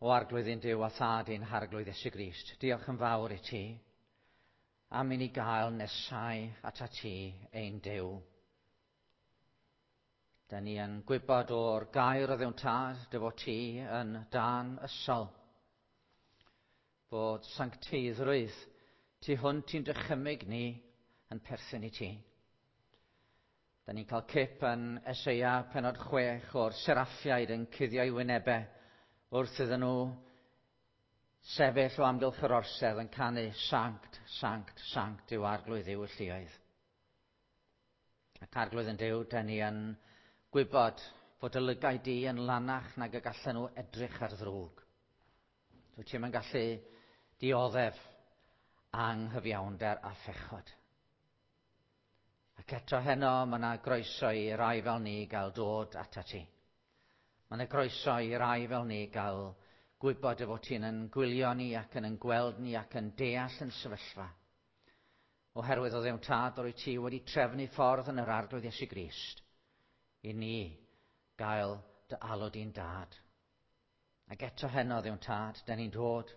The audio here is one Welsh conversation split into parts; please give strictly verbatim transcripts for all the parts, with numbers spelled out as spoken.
O Arglwydd ein Duw a Thad ein Harglwydd Iesu Grist, diolch yn fawr i ti am i ni gael nesau atat ti ein Duw. Da ni yn gwybod o'r gair o Dduw'n Tad dy fod ti yn dân ysol, bod sancteiddrwydd tu hwnt i'n dychymyg ni yn perthyn i ti. Da ni'n cael cip yn Eseia pennod chwech o'r seraffiaid yn cuddio'i wynebau wrth iddyn nhw sefyll o amgylch yr orsedd yn canu sanct, sanct, sanct yw Arglwydd Dduw y lluoedd. Ac Arglwydd yn Duw, da ni yn gwybod fod y lygaid di yn lanach nag y gallan nhw edrych ar ddrwg. Dwyt ti'm yn gallu dioddef anghyfiawnder a phechod. Ac eto heno mae yna groeso i rai fel ni gael dod atat ti. Mae yna groeso i rai fel ni gael gwybod y fod ti'n yn gwylio ni ac yn yn gweld ni ac yn deall yn sefyllfa. Oherwydd o Dduw Tad, rwyt ti wedi trefnu ffordd yn yr Arglwydd Iesu Grist i ni gael dy alw di'n dad. Ac eto heno, Dduw Tad, da ni'n dod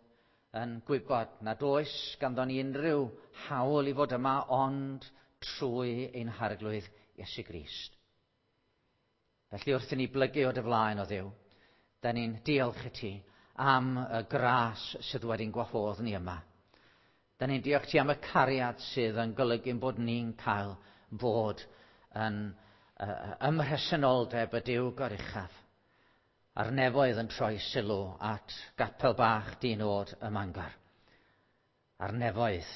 yn gwybod nad oes ganddo ni unrhyw hawl i fod yma ond trwy ein Harglwydd Iesu Grist. Felly wrth i ni blygu o dy flaen o Dduw, da ni'n diolch i ti am y gras sydd wedi'n gwahodd ni yma. Da ni'n diolch ti am y cariad sydd yn golygu bod ni'n cael fod yn uh, ymhresenoldeb y Duw goruchaf. A'r nefoedd yn troi sylw at gapel bach di-nod ym Mangor. A'r nefoedd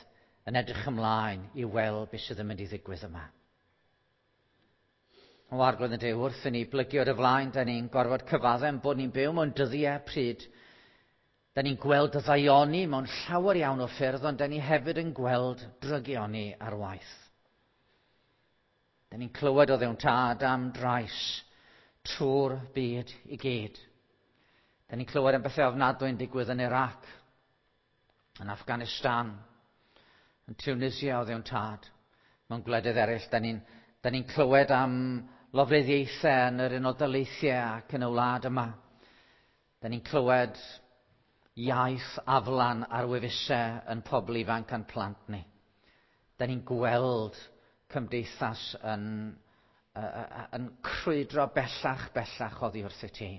yn edrych ymlaen i weld beth sydd yn mynd i ddigwydd yma. O Arglwydd yn Duw, wrth i ni blygu o dy flaen, da ni'n gorfod cyfaddef bod ni'n byw mewn dyddiau pryd. Da ni'n gweld y ddaioni mewn llawer iawn o ffyrdd, ond da ni hefyd yn gweld drygioni ar waith. Da ni'n clywed o Dduw'n Tad am drais trwy'r byd i gyd. Da ni'n clywed am bethau ofnadwy yn digwydd yn Iraq, yn Afghanistan, yn Tunisia o Dduw'n Tad, mewn gwledydd eraill. Da ni'n da ni'n clywed am lofruddiaethau yn yr Unol Daleithiau ac yn y wlad yma. Da ni'n clywed iaith aflan ar wefusau yn pobl ifanc a'n plant ni. Da ni'n gweld cymdeithas yn, uh, yn crwydro bellach bellach oddi wrth i ti.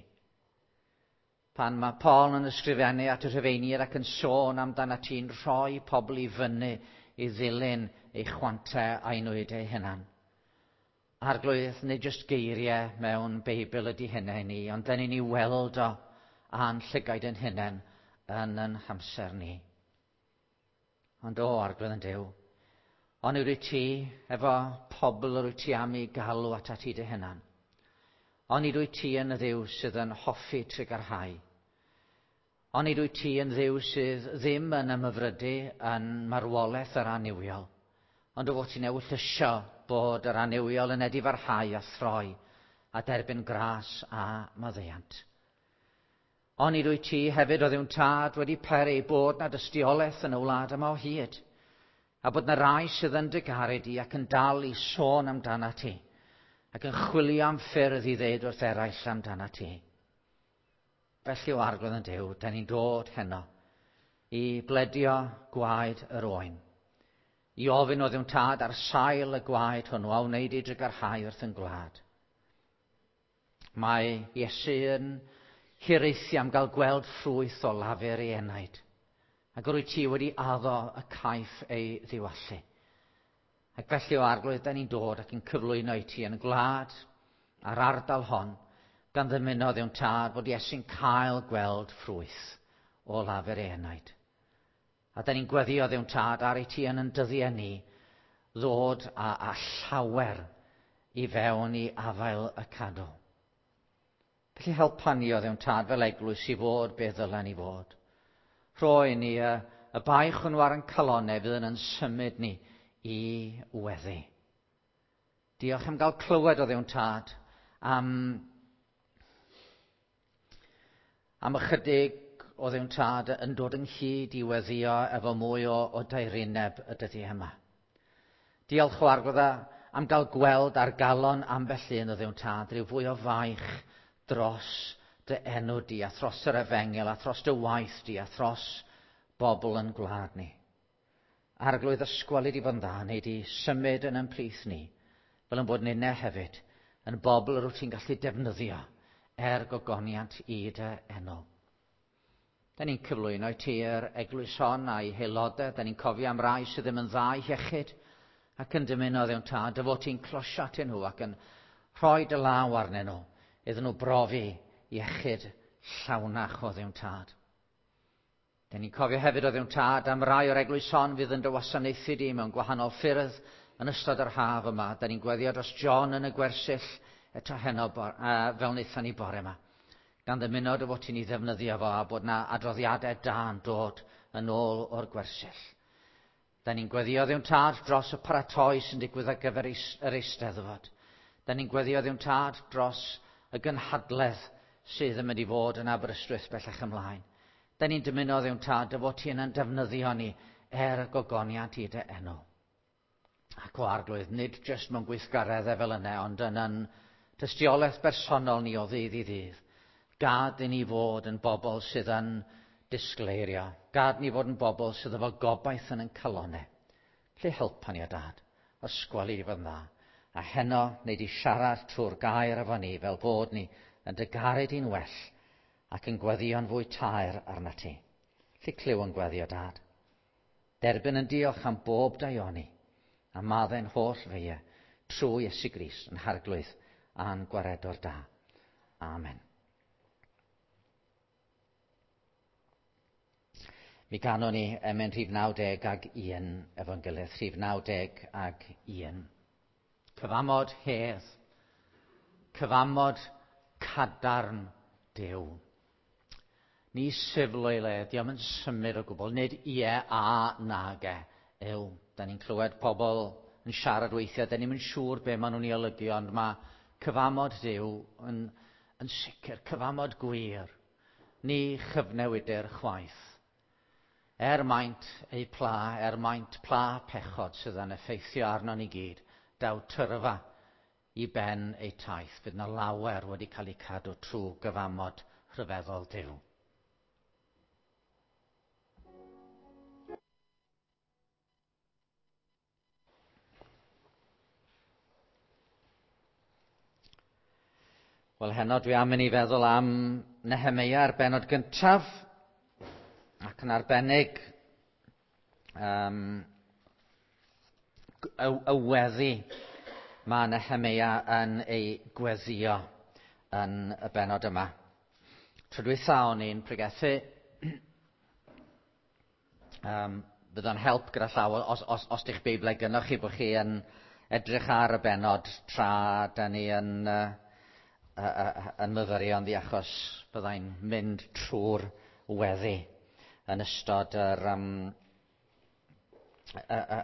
Pan mae Paul yn ysgrifennu at y Rhufeiniaid ac yn sôn amdano ti'n rhoi pobl i fyny i ddilyn eu chwantau a'i nwydau eu hunan. Arglwydd, nid jyst geiriau mewn Beibl ydy hynna i ni, ond dyn ni'n ei weld o a'n llygaid yn hunain yn yn hamser ni. Ond o, Arglwydd yn Duw, ond wyt ti efo pobl yr wyt ti am i galw atat ti dy hunan. Ond wyt ti yn y Dduw sydd yn hoffi trugarhau. Ond wyt ti yn Dduw sydd ddim yn ymhyfrydu yn marwolaeth yr annuwiol, ond o fod ti'n ewyllysio bod yr annuwiol yn edifarhau a throi a derbyn gras a maddeuant. Ond wyt ti hefyd o Dduw'n Tad wedi peri bod na dystiolaeth yn y wlad yma o hyd, a bod na rai sydd yn dy garu di ac yn dal i sôn amdana ti, ac yn chwilio am ffyrdd i ddeud wrth eraill amdana ti. Felly o Arglwydd yn Duw, da ni'n dod heno i bledio gwaed yr oen, i ofyn o Dduw'n Tad ar sail y gwaed hwnnw a wneud i drugarhau wrth yn gwlad. Mae Iesu yn hiraethu am gael gweld ffrwyth o lafur ei enaid, ac rwyt ti wedi addo y caiff ei ddiwallu. Ac felly o Arglwydd, da ni'n dod ac yn cyflwyno i ti yn y gwlad a'r ardal hon, gan ddymuno Dduw'n Tad bod Iesu'n cael gweld ffrwyth o lafur ei enaid. A da ni'n gweddio Dduw'n Tad ar i ti yn yn dyddiau ni ddod a, a llawer i fewn i afael y cadw. Felly helpa ni o Dduw'n Tad fel eglwys i fod beth ddylen ni fod. Rhoi ni y, y baich hwnnw ar ein calonnau fydd yn yn symud ni i weddi. Diolch am gael clywed o Dduw'n Tad am, am ychydig o Dduw'n Tad yn dod ynghyd i weddio efo mwy o, o daerineb y dyddiau yma. Diolch o Arglwydd am gael gweld ar galon ambell un o Dduw'n Tad rhyw fwy o faich dros dy enw di, a thros yr efengyl, a thros dy waith di, a thros bobl yn gwlad ni. Arglwydd, ysgweli di fod yn dda, neu di symud yn ymplith ni, fel yn bod ninne hefyd, yn bobl yr wyt ti'n gallu defnyddio er gogoniant i dy enw. Da ni'n cyflwyno i ti yr eglwys hon a'i haelodau, da ni'n cofio am rai sydd ddim yn dda i iechyd ac yn dymuno Dduw'n Tad, dy fod ti'n closio atyn nhw ac yn rhoi dy law arnyn nhw iddyn nhw brofi iechyd llawnach o Dduw'n Tad. Da ni'n cofio hefyd o Dduw'n Tad am rai o'r eglwys hon fydd yn dy wasanaethu di mewn gwahanol ffyrdd yn ystod yr haf yma. Da ni'n gweddio dros John yn y gwersyll eto heno bor, uh, fel wnaethon ni bore yma. Gan ddymuno dy fod ti'n ei ddefnyddio fo a bod na adroddiadau da yn dod yn ôl o'r gwersyll. Da ni'n gweddio Dduw'n Tad dros y paratoi sy'n digwydd ar gyfer yr Eisteddfod. Da ni'n gweddio Dduw'n Tad dros y gynhadledd sydd yn mynd i fod yn Aberystwyth bellach ymlaen. Da ni'n dymuno Dduw'n Tad dy fod ti yn defnyddio ni er gogoniant i dy enw. Ac o Arglwydd, nid jyst mewn gweithgareddau fel yna, ond yn yn tystiolaeth bersonol ni o ddydd i ddydd. Gad i ni fod yn bobl sydd yn disgleirio. Gad ni fod yn bobl sydd efo gobaith yn ein calonnau. Lle helpa ni o Dad, ysgweli i fod yn dda. A heno, neu di siarad trwy'r gair efo ni, fel bod ni yn dy garu di'n well ac yn gweddio'n fwy taer arna ti. Lle clyw yn gweddio, Dad. Derbyn yn diolch am bob daioni, a maddau'n holl feiau trwy Iesu Grist yn Harglwydd a'n gwaredwr da. Amen. Mi ganwn ni emyn rhif naw deg ag un efo'n gilydd, rhif naw deg ag un. Cyfamod hedd, cyfamod cadarn Duw. Ni siflo i le, diom yn symud o gwbl, nid ie a nag e yw. Da ni'n clywed pobl yn siarad weithiau, da ni'm yn siŵr be maen nhw'n ei olygu, ond mae cyfamod Duw yn, yn sicr, cyfamod gwir. Ni chyfnewidir chwaith. Er maint eu pla, er maint pla pechod sydd yn effeithio arnon ni gyd, daw tyrfa i ben eu taith. Fydd na lawer wedi cael eu cadw trwy gyfamod rhyfeddol Duw. Wel, heno dwi am i ni feddwl am Nehemeia ar bennod gyntaf, ac yn arbennig um, y, y weddi mae Nehemeia yn ei gweddio yn y bennod yma. Tro dwytha o'n i'n pregethu, um, bydd o'n help gyda llaw os, os, os di'ch Beiblau gynnoch chi bod chi yn edrych ar y bennod tra da ni yn, uh, uh, yn myfyrio ynddi, achos byddai'n mynd trwy'r weddi yn ystod yr, um,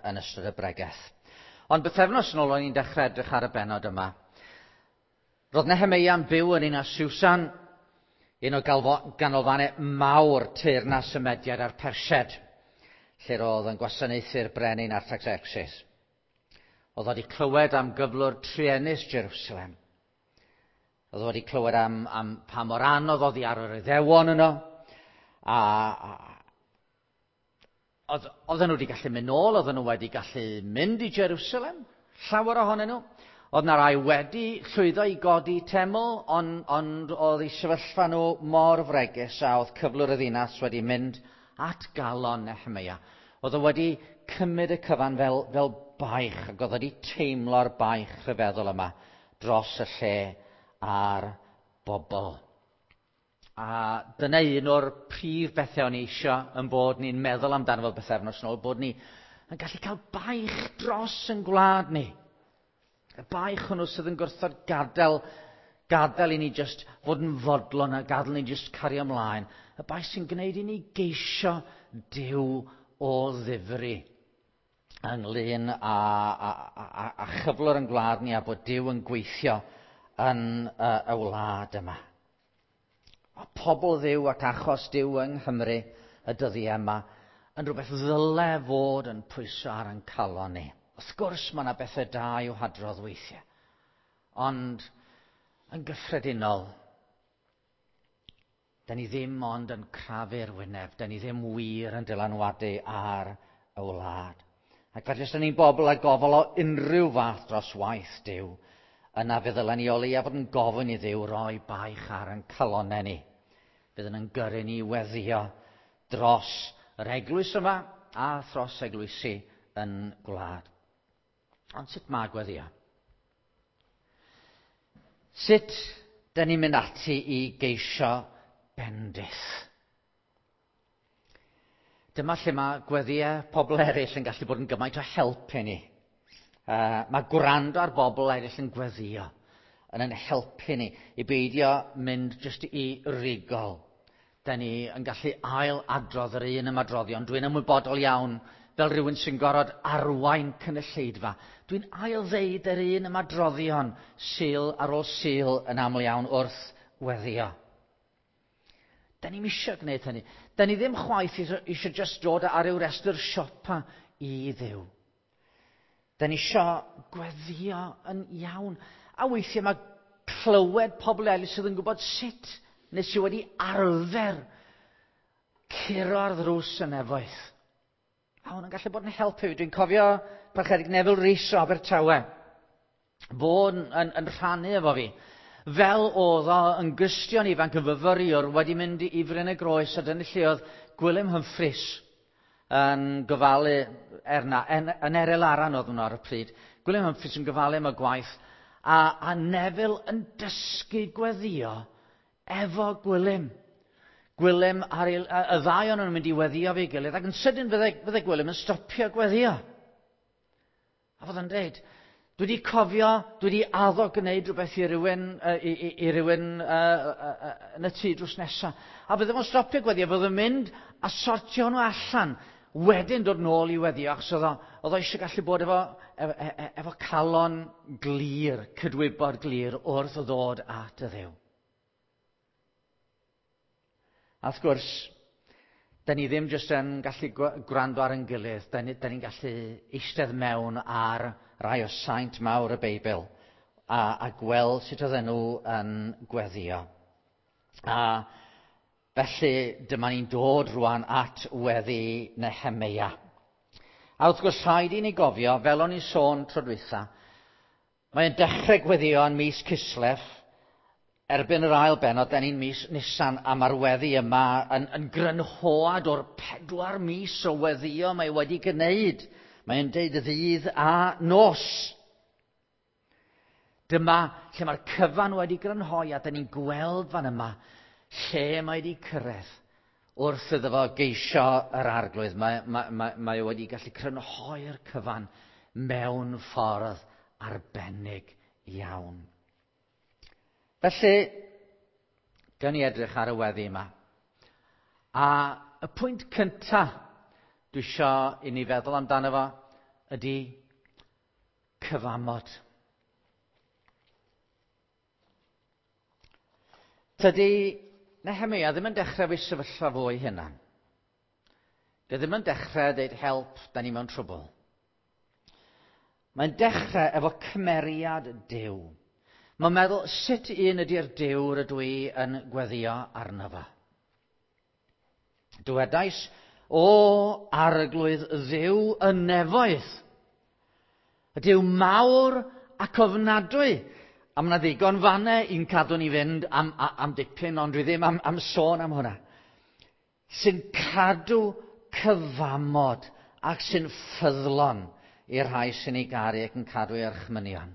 yn ystod y bregeth. Ond bythefnos yn ôl o'n i'n dechrau edrych ar y bennod yma. Roedd Nehemeia'n byw yn un o Susan, un o ganolfannau mawr teyrnas y Mediaid a'r Persiaid, lle roedd yn gwasanaethu'r brenin Artaxerxes. Oedd wedi clywed am gyflwr truenus Jerusalem. Oedd wedi clywed am, am pa mor anodd oedd hi ar yr Iddewon yno. A, a oedd, oedden nhw wedi gallu mynd nôl, oedden nhw wedi gallu mynd i Jerusalem, llawer ohonyn nhw. Oedd na rai wedi llwyddo i godi teml, ond, ond oedd eu sefyllfa nhw mor fregus a oedd cyflwr y ddinas wedi mynd at galon Nehemeia. Oedd o wedi cymryd y cyfan fel, fel baich, ac oedd wedi teimlo'r baich rhyfeddol yma dros y lle a'r bobl. A dyna un o'r prif bethau o'n i eisiau yn bod ni'n meddwl amdano fel bythefnos yn ôl, bod ni yn gallu cael baich dros yn gwlad ni. Y baich hwnnw sydd yn gwrthod gadael, gadael i ni just fod yn fodlon a gadael i ni just cario ymlaen. Y baich sy'n gwneud i ni geisio Duw o ddifri ynglyn â, a, a, a chyflwr yn gwlad ni a bod Duw yn gweithio yn y, y wlad yma. A pobl Dduw ac achos Duw yng Nghymru y dyddiau yma yn rhywbeth ddyle fod yn pwyso ar ein calon ni. Wrth gwrs mae yna bethau da i'w hadrodd weithiau, ond yn gyffredinol, Da ni ddim ond yn crafu'r wyneb, da ni ddim wir yn dylanwadu ar y wlad. Ac felly os da ni'n bobl â gofal o unrhyw fath dros waith Duw, yna fe ddylen ni o leia fod yn gofyn i Dduw roi baich ar ein calonnau ni. Fydd yn gyrru ni weddio dros yr eglwys yma a thros eglwysi yn gwlad. Ond sut mae gweddio? Sut da ni'n mynd ati i geisio bendith? Dyma lle mae gweddïau pobl eraill yn gallu bod yn gymaint o help i ni. Uh, mae gwrando ar bobl eraill yn gweddio yn yn helpu ni i beidio mynd jyst i rigol. Da ni yn gallu ail adrodd yr un ymadroddion. Dwi'n ymwybodol iawn fel rhywun sy'n gorfod arwain cynulleidfa. Dwi'n ail ddeud yr un ymadroddion Sul ar ôl Sul yn aml iawn wrth weddio. Da ni'm eisiau gwneud hynny. Da ni ddim chwaith eisiau just dod ar ryw restr siopa i Dduw. Da ni eisiau gweddio yn iawn. A weithiau mae clywed pobl eraill sydd yn gwybod sut neu sydd wedi arfer curo ar ddrws y nefoedd. A hwn yn gallu bod yn helpu. Dwi'n cofio Parchedig Neville Rees o Abertawe. Fo'n yn, yn rhannu efo fi. Fel oedd o yn Gristion ifanc yn fyfyriwr wedi mynd i Fryn y Groes, a dyna lle oedd Gwilym Humphreys yn gofalu erna, en, yn Eryl Aran oedd hwnnw ar y pryd. Gwilym Humphreys yn gofalu am y gwaith, a, a Neville yn dysgu gweddio efo Gwilym. Gwilym ar ei, y ddau o'n nhw'n mynd i weddio fe'i gilydd, ac yn sydyn fydde, fydde Gwilym yn stopio gweddio. A fod yn dweud, dwi wedi cofio, dwi wedi addo gwneud rhywbeth i rywun, i, i, i rywun uh, uh, uh, yn y tŷ drws nesaf. A fydde fo'n stopio gweddio, fydde fo'n mynd a sortio nhw allan, wedyn dod nôl i weddio, achos oedd o, oedd o eisiau gallu bod efo, efo, efo calon glir, cydwybod glir wrth ddod at y Dduw. A wrth gwrs, da ni ddim jyst yn gallu gwrando ar ein gilydd, da ni'n ni gallu eistedd mewn ar rai o saint mawr y Beibl a, a gweld sut oedden nhw yn gweddio. A felly dyma ni'n dod rwan at weddi Nehemeia. A wrth gwrs rhaid i ni gofio, fel o'n i'n sôn tro dwytha, mae'n dechrau gweddio yn mis Cislef. Erbyn yr ail bennod, da ni'n mis Nisan, a mae'r weddi yma yn, yn grynhoad o'r pedwar mis o weddio mae wedi gwneud. Mae'n deud ddydd a nos. Dyma lle mae'r cyfan wedi grynhoi, a da ni'n gweld fan yma lle mae wedi cyrraedd wrth iddo fo geisio yr arglwydd. Mae, mae, mae, mae wedi gallu crynhoi'r cyfan mewn ffordd arbennig iawn. Felly, gawn ni edrych ar y weddi yma. A y pwynt cyntaf dwi isio i ni feddwl amdano fo ydy cyfamod. Tydi Nehemeia ddim yn dechrau efo'i sefyllfa fo ei hunan. Dy ddim yn dechrau dweud help, da ni mewn trwbl. Mae'n dechrau efo cymeriad Duw. Mae'n meddwl sut un ydy'r Duw rydw i yn gweddio arno fo. Dywedais, o arglwydd Dduw y nefoedd, y Duw mawr ac ofnadwy. A mae yna ddigon fannau i'n cadw ni fynd am, am, am dipyn, ond dwi ddim am, am sôn am hwnna. Sy'n cadw cyfamod ac sy'n ffyddlon i'r rhai sy'n ei garu ac yn cadw ei orchmynion.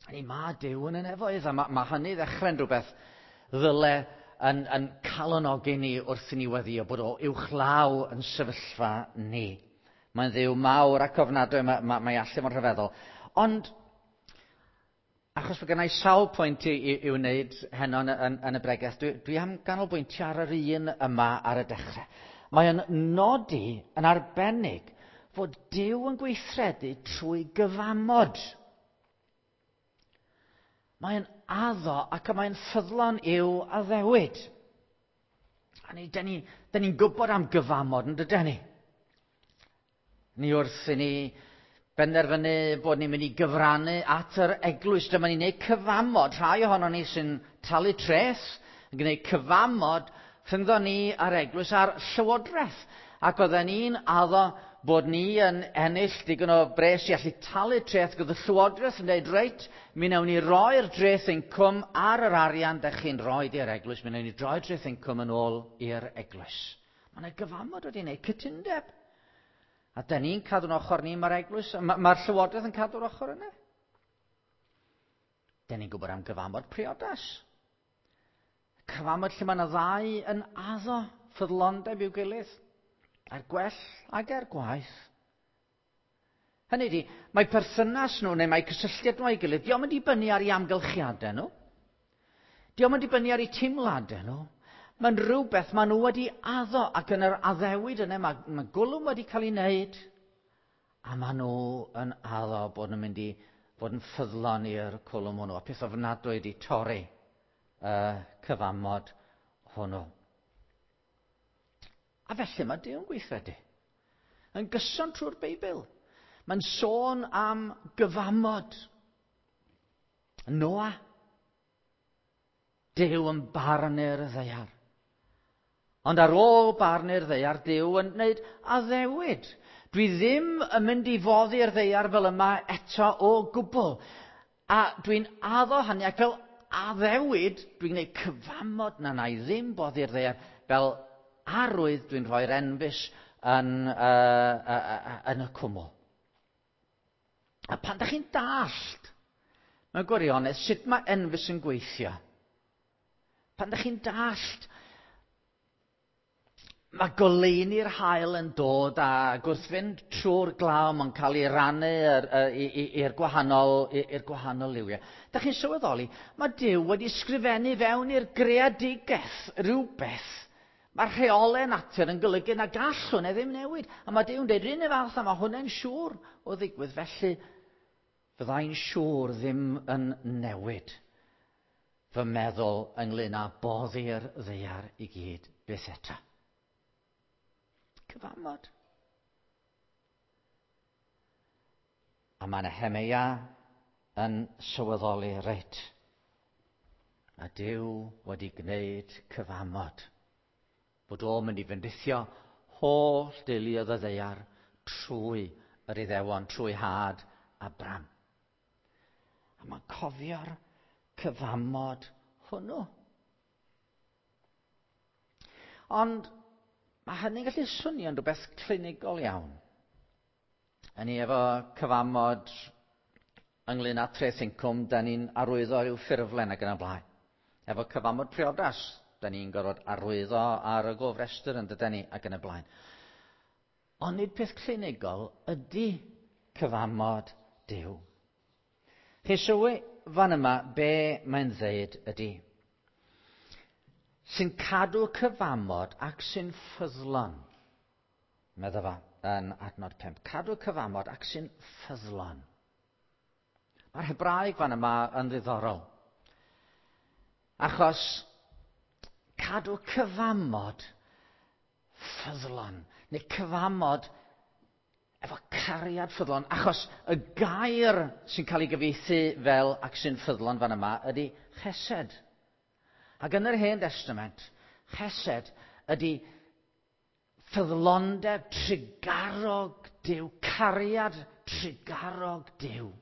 A ni mae Duw yn y nefoedd, a mae, mae hynny ddechrau'n rhywbeth ddyle yn, yn calonogi ni wrth i ni weddio bod o uwchlaw yn sefyllfa ni. Mae'n Dduw mawr ac ofnadwy, mae, mae, mae allu fo'n rhyfeddol. Ond, achos bod gennau sawl pwynt i, i, i wneud heno yn, yn, yn y bregeth, dwi, dwi am ganolbwyntio ar yr un yma ar y dechrau. Mae o'n nodi yn arbennig fod Duw yn gweithredu trwy gyfamod. Mae'n addo ac mae'n ffyddlon i'w addewid. A ni, da ni'n ni, ni gwybod am gyfamod, yn dydyn ni? Ni wrth i ni benderfynu bod ni'n mynd i gyfrannu at yr eglwys. Dyma ni'n gwneud cyfamod. Rhai ohono ni sy'n talu treth, Yn gwneud cyfamod rhyngddo ni a'r eglwys a'r llywodraeth. Ac oedden ni'n addo bod ni yn ennill digon o bres i allu talu treth. Oedd y llywodraeth yn dweud, reit, mi wnawn ni roi'r dreth incwm ar yr arian dych chi'n rhoi i'r eglwys. Mi wnawn ni droi'r dreth incwm yn ôl i'r eglwys. Mae yna gyfamod wedi gwneud cytundeb. A da ni'n cadw'n ochr ni, mae'r eglwys, mae'r ma llywodraeth yn cadw'r ochr yna. Da ni'n gwybod am gyfamod priodas. Cyfamod lle mae yna ddau yn addo ffyddlondeb i'w gilydd. Er gwell ag er gwaeth. Hynny ydi, mae perthynas nhw neu mae cysylltiad nhw â'i gilydd, dio'm yn dibynnu ar eu amgylchiadau nhw. Dio'm yn dibynnu ar eu teimladau nhw. Mae'n rhywbeth maen nhw wedi addo ac yn yr addewid yna mae, mae gwlwm wedi cael ei wneud a maen nhw yn addo bod nhw'n mynd i fod yn ffyddlon i'r cwlwm hwnnw. A peth ofnadwy wedi torri y cyfamod hwnnw. A felly mae Duw'n gweithredu. Yn gyson trwy'r Beibl. Mae'n sôn am gyfamod. Noa. Duw yn barnu'r ddaear. Ond ar ôl barnu'r ddaear, Duw yn gwneud addewid. Dwi ddim yn mynd i foddi'r ddaear fel yma eto o gwbl. A dwi'n addo hynny, ac fel addewid, dwi'n gwneud cyfamod na na i ddim boddi'r ddaear fel arwydd dwi'n rhoi'r enfys yn, uh, uh, uh, yn y cwmwl. A pan da chi'n dallt, mewn gwirionedd, sut mae enfys yn gweithio, pan da chi'n dallt, mae goleuni'r haul yn dod a wrth fynd trwy'r glaw mae'n cael ei rannu i'r gwahanol, i'r gwahanol liwiau. Da chi'n sylweddoli, mae Duw wedi sgrifennu fewn i'r greadigaeth rhywbeth. Mae'r rheolau natur yn golygu na gall hwnna ddim newid. A mae Duw'n dweud, r'un fath a mae hwnna'n siŵr o ddigwydd. Felly, fyddai'n siŵr ddim yn newid fy meddwl ynglyn â boddi'r ddaear i gyd byth eto. Cyfamod. A mae Nehemeia yn sylweddoli, reit, a Duw wedi gwneud cyfamod. Bod o'n mynd i fendithio holl deuluoedd y ddaear trwy yr Iddewon, trwy had Abram. A mae'n cofio'r cyfamod hwnnw. Ond mae hynny'n gallu swnio'n rhywbeth clinigol iawn. Yn ni efo cyfamod ynglyn â treth incwm, da ni'n arwyddo rhyw ffurflen ac yn y blaen. Efo cyfamod priodas, da ni'n gorfod arwyddo ar y gofrestr yn dydyn ni ac yn y blaen. Ond nid peth clinigol ydy cyfamod Duw. Chi sylwi fan yma be mae'n ddeud ydy. Sy'n cadw cyfamod ac sy'n ffyddlon. Medda fa yn adnod pump. Cadw cyfamod ac sy'n ffyddlon. Mae'r Hebraeg fan yma yn ddiddorol. Achos cadw cyfamod ffyddlon, neu cyfamod efo cariad ffyddlon, achos y gair sy'n cael ei gyfieithu fel ac sy'n ffyddlon fan yma ydy chesed. Ac yn yr Hen Testament, chesed ydy ffyddlondeb trugarog Duw, cariad trugarog Duw,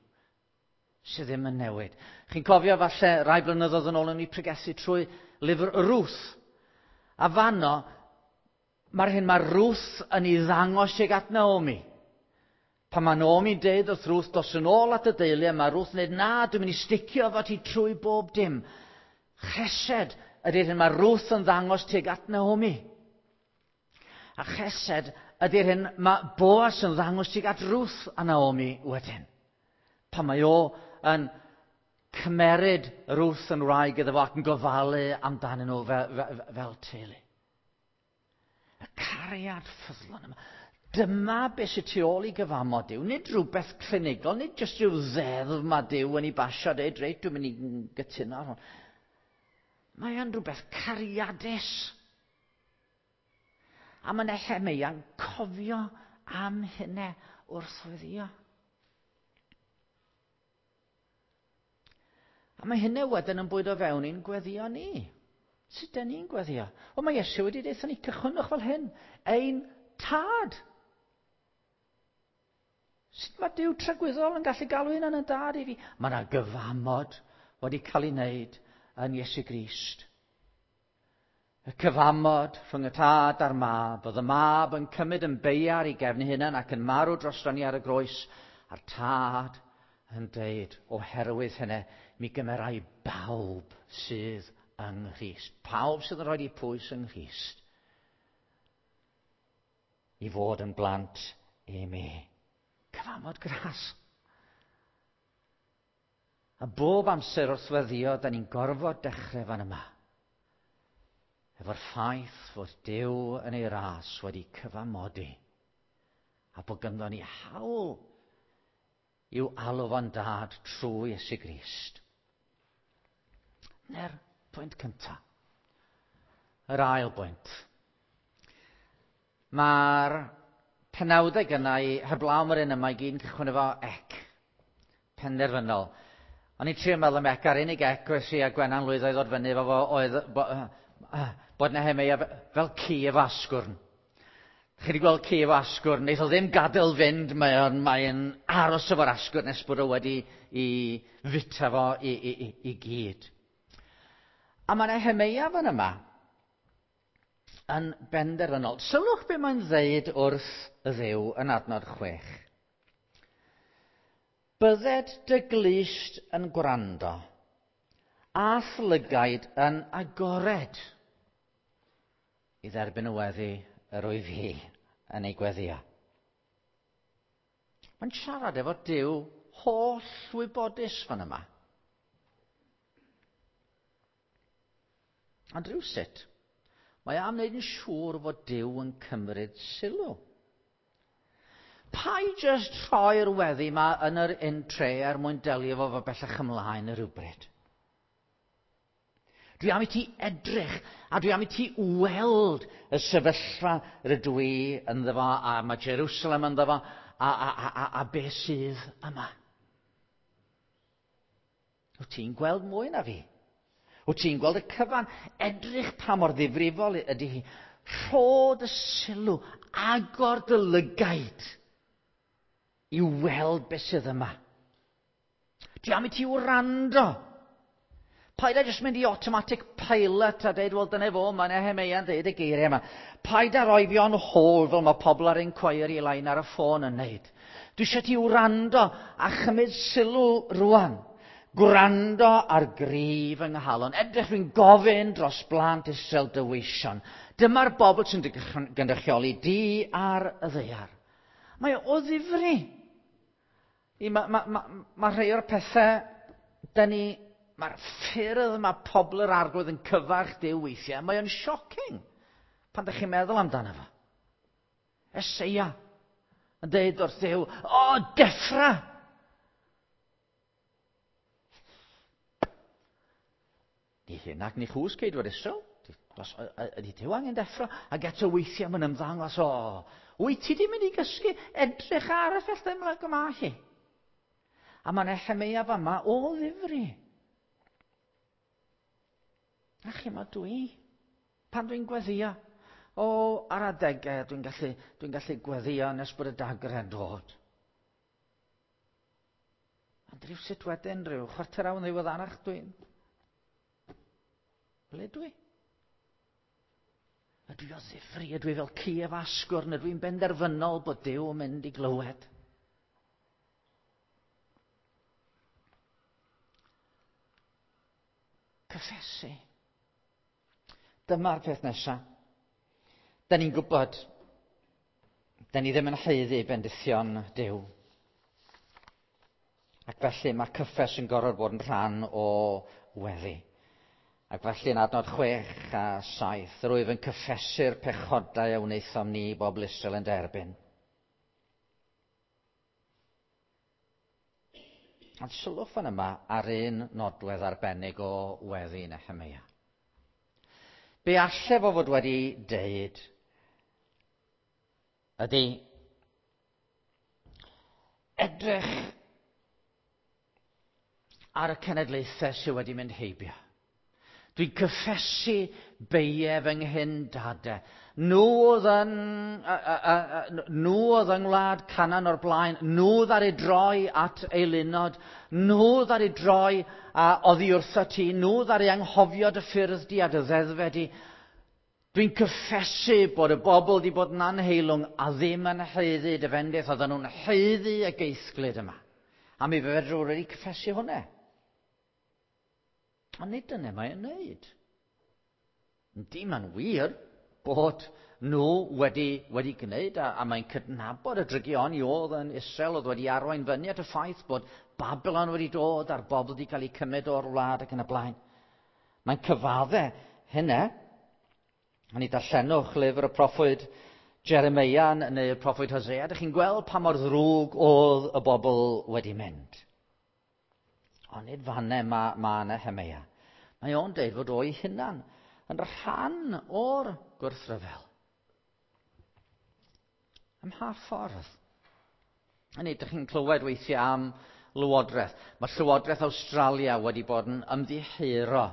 sydd ddim yn newid. Chi'n cofio falle rai blynyddoedd yn ôl yn ei pregethu trwy lyfr Ruth. A fanno, mae'r hyn mae Ruth yn ei ddangos tuag at Naomi. Pan mae Naomi'n deud wrth Ruth, dos yn ôl at y deulu, a mae Ruth yn dweud, na, dwi'n mynd i sticio efo ti trwy bob dim. Chesed ydy'r hyn mae Ruth yn ddangos tuag at Naomi. A chesed ydy'r hyn mae Boas yn ddangos tuag at Ruth a Naomi wedyn. Pan mae o yn cymeryd Ruth yn wraig iddo fo ac yn gofalu amdanyn nhw fel, fel, fel teulu. Y cariad ffyddlon yma. Dyma beth sydd tu ôl i gyfamod Duw. Nid rhywbeth clinigol, nid jyst rhyw ddeddf mae Duw yn ei basio, dweud, reit, dwi'n mynd i gytuno ar hwn. Mae o'n rhywbeth cariadus. A mae Nehemeia'n cofio am hynny wrth weddïo. A mae hynny wedyn yn bwydo fewn i'n gweddio ni. Sut dyn ni'n gweddio? O, mae Iesu wedi deutha ni, cychwynnwch fel hyn. Ein tad. Sut mae Duw tragwyddol yn gallu galw hynna'n yn dad i fi? Mae yna gyfamod wedi cael ei wneud yn Iesu Grist. Y cyfamod rhwng y tad a'r mab, oedd y mab yn cymryd yn beiar i gefn hunan ac yn marw drosto ni ar y groes, a'r tad yn deud, oherwydd hynny, mi gymerai bawb sydd yng Nghrist. Pawb sydd yn rhoi eu pwys yng Nghrist i fod yn blant i mi. Cyfamod gras. A bob amser wrth weddio, da ni'n gorfod dechrau fan yma. Efo'r ffaith fod Duw yn ei ras wedi cyfamodi a bod ganddo ni hawl i'w alw fo'n dad trwy Iesu Grist. Na'r pwynt cyntaf. Yr ail bwynt. Mae'r penawdau gynnau heblaw mae'r un yma i gyd yn cychwyn efo ec. Penderfynol. O'n i'n trio meddwl am ec, a'r unig ec wnes i a Gwenan lwyddo i ddod fyny efo fo oedd bo, bod Nehemeia fel ci efo asgwrn. Chi wedi gweld ci efo asgwrn, neith o ddim gadael fynd, mae'n mae aros efo'r asgwrn nes bod o wedi i fita fo i, i, i, i gyd. A mae Nehemeia fan yma yn benderfynol. Sylwch be mae'n ddeud wrth y Dduw yn adnod chwech. Bydded dy glust yn gwrando, a'th lygaid yn agored i dderbyn y weddi yr wyf fi yn ei gweddio. Mae'n siarad efo Duw holl wybodus fan yma. Ond rhywsut, mae am wneud yn siŵr fod Duw yn cymryd sylw. Paid jyst rhoi'r weddi yma yn yr un-tre er mwyn delio efo fo bellach ymlaen y rhywbryd. Dwi am i ti edrych a dwi am i ti weld y sefyllfa rydw i ynddo fo a mae Jerusalem ynddo fo a, a, a, a, a beth sydd yma. Wyt ti'n gweld mwy na fi? Wyt ti'n gweld y cyfan? Edrych pa mor ddifrifol ydy hi. Rho dy sylw, agor dy lygaid i weld beth sydd yma. Dwi am i ti wrando. Paid â jyst mynd i automatic pilot a deud, wel dyna fo, mae Nehemeia'n deud y geiriau yma. Paid â roi fi on hold fel mae pobl ar inquiry line ar y ffôn yn neud. Dwi eisiau ti wrando a chymryd sylw rwan. Gwrando ar grif yng nghalon. Edrych fi'n gofyn dros blant Israel dy weision. Dyma'r bobl sy'n dy gynrychioli di ar y ddaear. Mae o ddifri. Mae ma, ma, ma rhai o'r pethau, da ni, mae'r ffyrdd mae pobl yr arglwydd yn cyfarch Duw weithiau, mae o'n shocking pan ydych chi'n meddwl amdano fo. Eseia yn deud wrth Duw, o, deffra! Ni hyn ac ni chws ceidwad Israel. Ydy Duw angen deffro? Ac eto weithiau mae'n ymddangos, o, wyt ti di mynd i gysgu? Edrych ar y felltau yma hi. A mae Nehemeia fama o ddifri. A chi ma dwi, pan dwi'n gweddio, o, ar adegau dwi'n gallu, dwi'n gallu gweddio nes bod y dagrau'n dod. Ond rhywsut wedyn, rhyw chwarter awr yn ddiweddarach dwi'n... Ble dwi? Ydw i o ddifri, ydw i fel ci efo asgwrn, ydw i'n benderfynol bod Duw yn mynd i glywed. Cyffesu. Dyma'r peth nesaf. Da ni'n gwybod, da ni ddim yn haeddu bendithion Duw. Ac felly mae cyffes yn gorfod bod yn rhan o weddi. Ac felly yn adnod chwech a saith, rwyf yn cyffesu'r pechodau a wnaethom ni bobl Israel yn derbyn. Ond sylwch fan yma ar un nodwedd arbennig o weddi Nehemeia. Be alle fo fod wedi deud ydy edrych ar y cenedlaethau sydd wedi mynd heibio. Dwi'n cyffesu beie fy nghyndadau. Nhw oedd yn, a, a, a, nhw oedd yng ngwlad Canaan o'r blaen. Nhw ddaru droi at eilunod. Nhw ddaru droi a oddi wrtho ti. Nhw ddaru anghofio dy ffyrdd di a dy ddeddfau di. Dwi'n cyffesu bod y bobl wedi bod yn anheilwng a ddim yn haeddu dy fendith. Oedden nhw'n haeddu y geisglyd yma. A mi fedrwn wedi cyffesu hwnna. Ond nid dyna mae'n wneud. Yndi, mae'n wir bod nhw wedi, wedi gwneud, a, a mae'n cydnabod y drygioni oedd yn Israel, oedd wedi arwain fyny at y ffaith bod Babylon wedi dod a'r bobl wedi cael eu cymryd o'r wlad ac yn y blaen. Mae'n cyfadde hynna. A ni darllenwch lyfr y proffwyd Jeremia neu'r proffwyd Hosea. Dych chi'n gweld pa mor ddrwg oedd y bobl wedi mynd. Ond nid fanne mae ma Nehemia. Mae o'n deud fod o'i hunan yn rhan o'r gwrthryfel. Ym mha ffordd? A nid ydych chi'n clywed weithiau am lywodraeth. Mae Llywodraeth Awstralia wedi bod yn ymddiheuro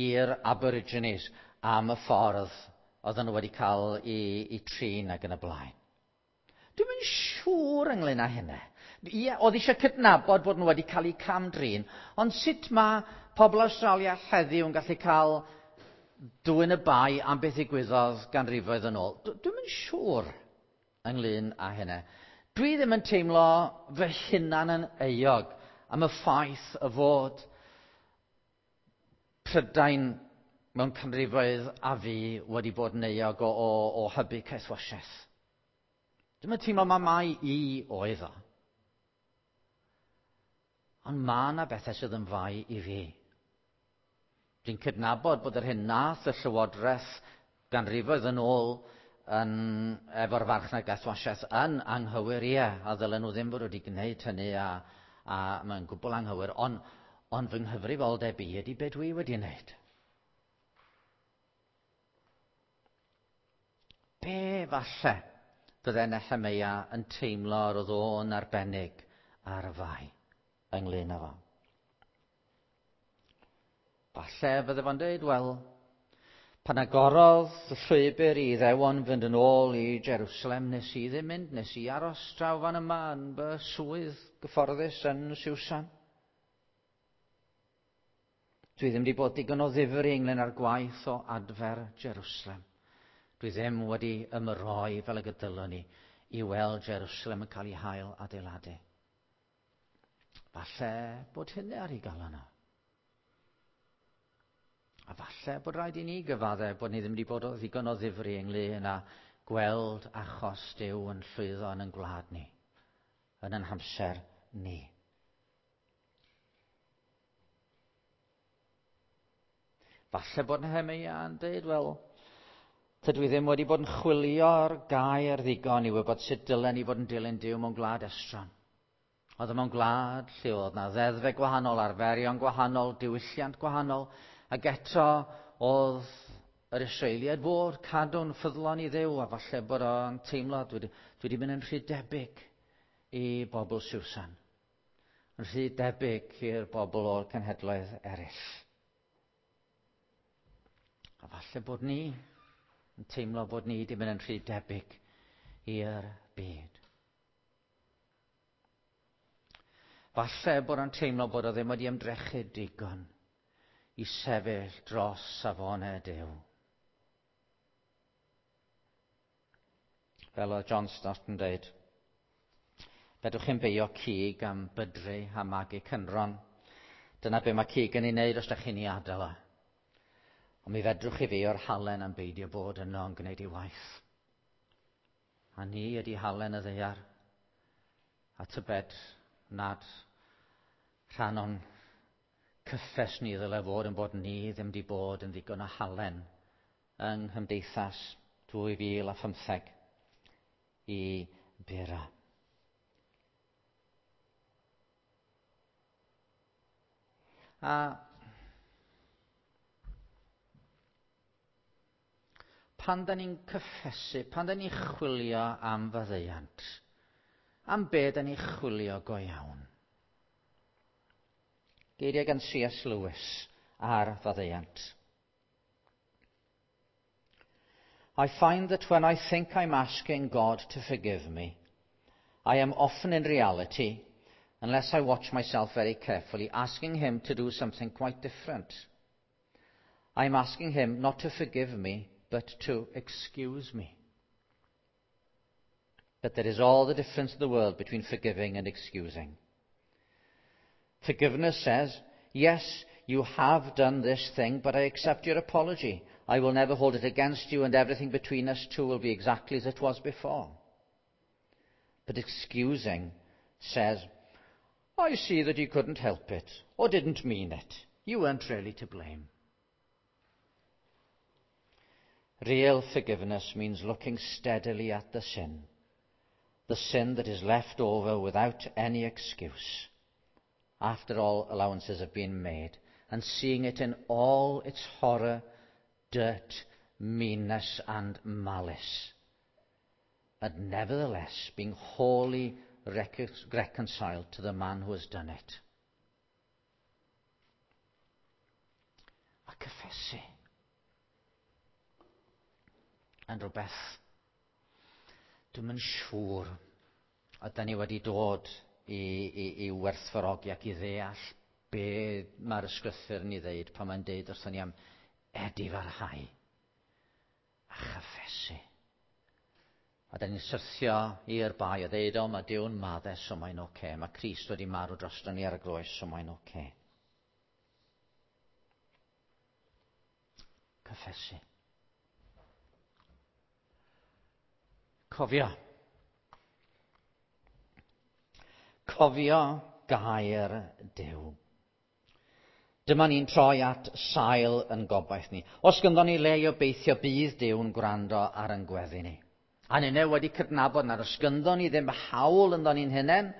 i'r Aborigines am y ffordd oedden nhw wedi cael i, i trin ac yn y blaen. Dwi'm yn siŵr ynglyn â hynny. Ie, oedd eisiau cydnabod bod nhw wedi cael eu cam-drin, ond sut mae pobl Awstralia heddiw yn gallu cael dwyn y bai am beth ddigwyddodd ganrifoedd yn ôl? Dwi'm yn siŵr ynglyn â hynny. Dwi ddim yn teimlo fy hunan yn euog am y ffaith y fod Prydain mewn canrifoedd a fi wedi bod yn euog o, o, o hybu caethwasiaeth. Dwi'm yn teimlo mai mai i oedd o. Ond mae yna bethau sydd yn fai i fi. Dwi'n cydnabod bod yr hyn nath y Llywodraeth ganrifoedd yn ôl yn, efo'r farchnad gaethwasiaeth yn anghywir, ie, a ddylen nhw ddim fod wedi gwneud hynny a, a mae'n gwbl anghywir, ond, ond fy nghyfrifoldeb i ydy be dwi wedi wneud. Be falle fydde Nehemia yn teimlo yr oedd o'n arbennig ar y fai ynglyn â fo? Falle fydde fo'n dweud, wel, pan agorodd y llwybr i Iddewon fynd yn ôl i Jerusalem, nes i ddim mynd, nes i aros draw fan yma yn fy swydd gyfforddus yn Siwsan. Dwi ddim wedi bod digon o ddifri ynglyn â'r gwaith o adfer Jerusalem. Dwi ddim wedi ymroi fel y gydylwn ni i weld Jerusalem yn cael ei hail adeiladu. Falle bod hynny ar ei galon o. A falle bod rhaid i ni gyfadde bod ni ddim wedi bod o ddigon o ddifri ynglyn â gweld achos Duw yn llwyddo yn ein gwlad ni, yn ein hamser ni. Falle bod Nehemia yn dweud, wel, tydw i ddim wedi bod yn chwilio'r gair ddigon i wybod sut dylen ni fod yn dilyn Duw mewn gwlad estron. Oedd e mewn gwlad lle oedd na ddeddfau gwahanol, arferion gwahanol, diwylliant gwahanol, ac eto oedd yr Israeliaid fod cadw'n ffyddlon i Dduw, a falle bod o'n teimlo, dwi wedi mynd yn rhy debyg i bobl Siwsan, yn rhy debyg i'r bobl o'r cenhedloedd eraill. A falle bod ni yn teimlo bod ni wedi mynd yn rhy debyg i'r byd. Falle bod o'n teimlo bod o ddim wedi ymdrechu digon i sefyll dros safonau Duw. Fel oedd John Stott yn dweud, fedrwch chi'n beio cig am bydru a magu cynron. Dyna be mae cig yn ei wneud os ydych chi'n ei adael o. Ond mi fedrwch chi feio'r halen am beidio bod yno yn gwneud ei waith. A ni ydy halen y ddaear. A tybed nad rhan o'n cyffes ni ddyle fod yn bod ni ddim wedi bod yn ddigon o halen yng nghymdeithas dwy fil a phymtheg i bura. A pan da ni'n cyffesu, pan da ni'n chwilio am faddeuant, am be da ni'n chwilio go iawn? Geiriau gan C S Lewis ar faddeuant. I find that when I think I'm asking God to forgive me, I am often in reality, unless I watch myself very carefully, asking him to do something quite different. I'm asking him not to forgive me, but to excuse me. But there is all the difference in the world between forgiving and excusing. Forgiveness says, yes, you have done this thing, but I accept your apology. I will never hold it against you, and everything between us two will be exactly as it was before. But excusing says, I see that you couldn't help it, or didn't mean it. You weren't really to blame. Real forgiveness means looking steadily at the sin, the sin that is left over without any excuse, after all allowances have been made, and seeing it in all its horror, dirt, meanness and malice, and nevertheless being wholly reconciled to the man who has done it. A cyffesu yn rhywbeth dwi'm yn siŵr ydan ni wedi dod i, i, i werthfawrogi ac i ddeall be mae'r ysgrythur yn ei ddeud pan mae'n deud wrthon ni am edifarhau a chyffesu. A da ni'n syrthio i'r bai a ddeud, o, mae Duw'n maddau, so mae'n oce. Okay. Mae Crist wedi marw drosto ni ar y groes, so mae'n oce. Okay. Cyffesu. Cofio. Cofio gair Duw. Dyma ni'n troi at sail yn gobaith ni. Os gynddon ni le i obeithio bydd Duw'n gwrando ar yn gweddi ni. A ninne wedi cydnabod nad os gynddon ni ddim hawl ynddo ni'n hunain